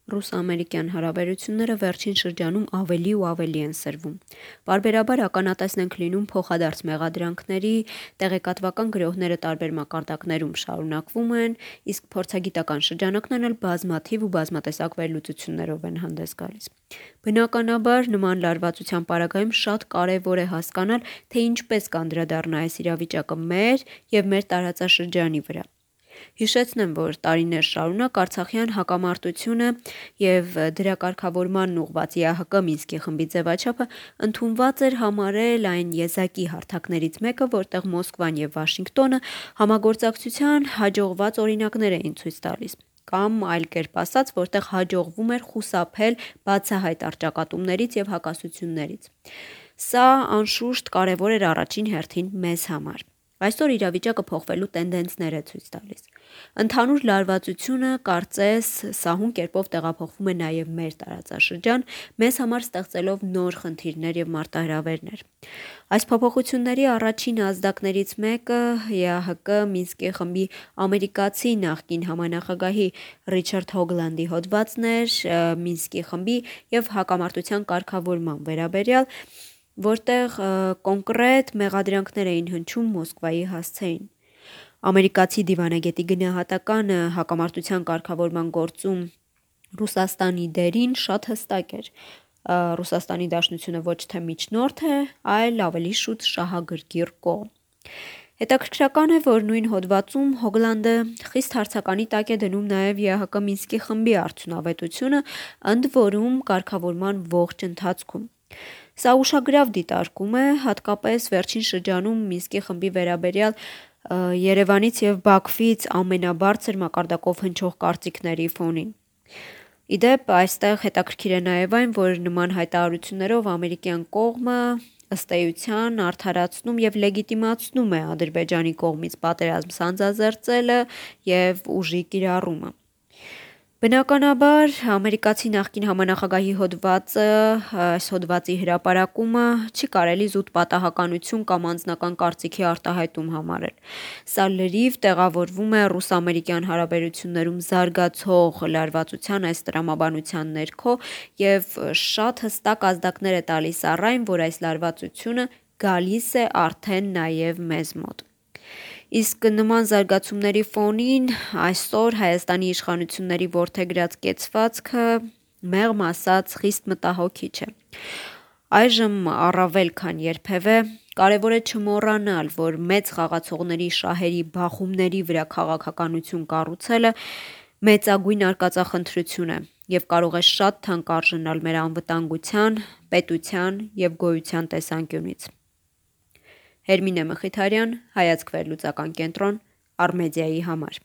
Ռուս-ամերիկյան հարաբերությունները վերջին շրջանում ավելի ու ավելի են սրվում։ Պարբերաբար ականատեսն ենք լինում փոխադարձ մեղադրանքների, տեղեկատվական գրոհները տարբեր մակարդակներում շարունակվում են, իսկ փորձագիտական շրջանակներն էլ բազմաթիվ ու բազմատեսակ վերլուծություններով են հանդես գալիս։ Բնականաբար, նման լարվածության պարագայում շատ կարևոր է հասկանալ, թե ինչպես կանդրադառնա այս իրավիճակը մեր և մեր տարածաշրջանի վրա։ Հիշեցնեմ, որ տարիներ շարունակ արցախյան հակամարտությունը և դրա կարգավորմանն ուղղված ԵԱՀԿ Մինսկի խմբի ձևաչափը ընդունված էր համարել այն եզակի հարթակներից մեկը, որտեղ Մոսկվան և Վաշինգտոնը համագործակցության հաջողված օրինակներ էին ցույց տալիս, կամ այլ կերպ ասած, որտեղ հաջողվում էր խուսափել բացահայտ առճակատումներից և հակասություններից։ Սա, անշուշտ, կարևոր էր առաջին հերթին մեզ համար։ Այսօր իրավիճակը փոխվելու տենդենսներ է ցույց տալիս։ Ընդհանուր լարվածությունը կարծես սահուն կերպով տեղափոխվում է նաև մեր տարածաշրջան, մեզ համար ստեղծելով նոր խնդիրներ և մարտահրավերներ։ Այս փոփոխությունների առաջին ազդակներից մեկը ԵԱՀԿ Մինսկի խմբի ամերիկացի նախկին համանախագահի Ռիչարդ Հոգլանդի հոդվածն էր Մինսկի խմբի և հակամարտության կարգավորման վերաբերյալ, որտեղ կոնկրետ մեղադրանքներ էին հնչում Մոսկվայի հասցեին։ Ամերիկացի դիվանագետի գնահատականը հակամարտության կարգավորման գործում Ռուսաստանի դերին շատ հստակ էր։ ՌԴ ոչ թե միջնորդ է, այլ ավելի շուտ շահագրգիռ կողմ։ Հետաքրքրական է, որ նույն հոդվածում Հոգլանդը խիստ հարցականի տակ է դնում նաև ԵԱՀԿ Մինսկի խմբի արդյունավետությունը, ընդ որում կարգավորման ողջ ընթացքում։ Սա ուշագրավ դիտարկում է, հատկապես վերջին շրջանում Մինսկի խմբի վերաբերյալ Երևանից և Բաքվից ամենաբարձր մակարդակով հնչող կարծիքների ֆոնին։ Ի դեպ, այստեղ հետաքրքիր է նաև այն, որ նման հայտարարություններով ամերիկյան կողմը, ըստ էության, արդարացնում և լեգիտիմացնում է Ադրբեջանի կողմից պատերազմ սանձազերծելը և ուժի կիրառումը։ Բնականաբար, ամերիկացի նախկին համանախագահի հոդվածի հրապարակումը չի կարելի զուտ պատահականություն կամ անձնական կարծիքի արտահայտում համարել։ Սա լրիվ տեղավորվում է ռուս-ամերիկյան հարաբերություններում զարգացող լարվածության այս տրամաբանության ներքո և շատ հստակ ազդակներ է տալիս առ այն, որ այս լարվածությունը գալիս է արդեն նաև մեզ մոտ։ Իսկ նման զարգացումների ֆոնին այսօր Հայաստանի իշխանությունների որդեգրած կեցվածքը, մեղմ ասած, խիստ մտահոգիչ է։ Այժմ առավել քան երբևէ կարևոր է չմոռանալ, որ մեծ խաղացողների շահերի բախումների վրա քաղաքականություն կառուցելը մեծագույն արկածախնդրություն է և կարող է շատ թանկ արժանալ մեր անվտանգության, պետության և գոյության տեսանկյունից։ Հերմինե Մխիթարյան, Հայացք վերլուծական կենտրոն, Առմեդիայի համար։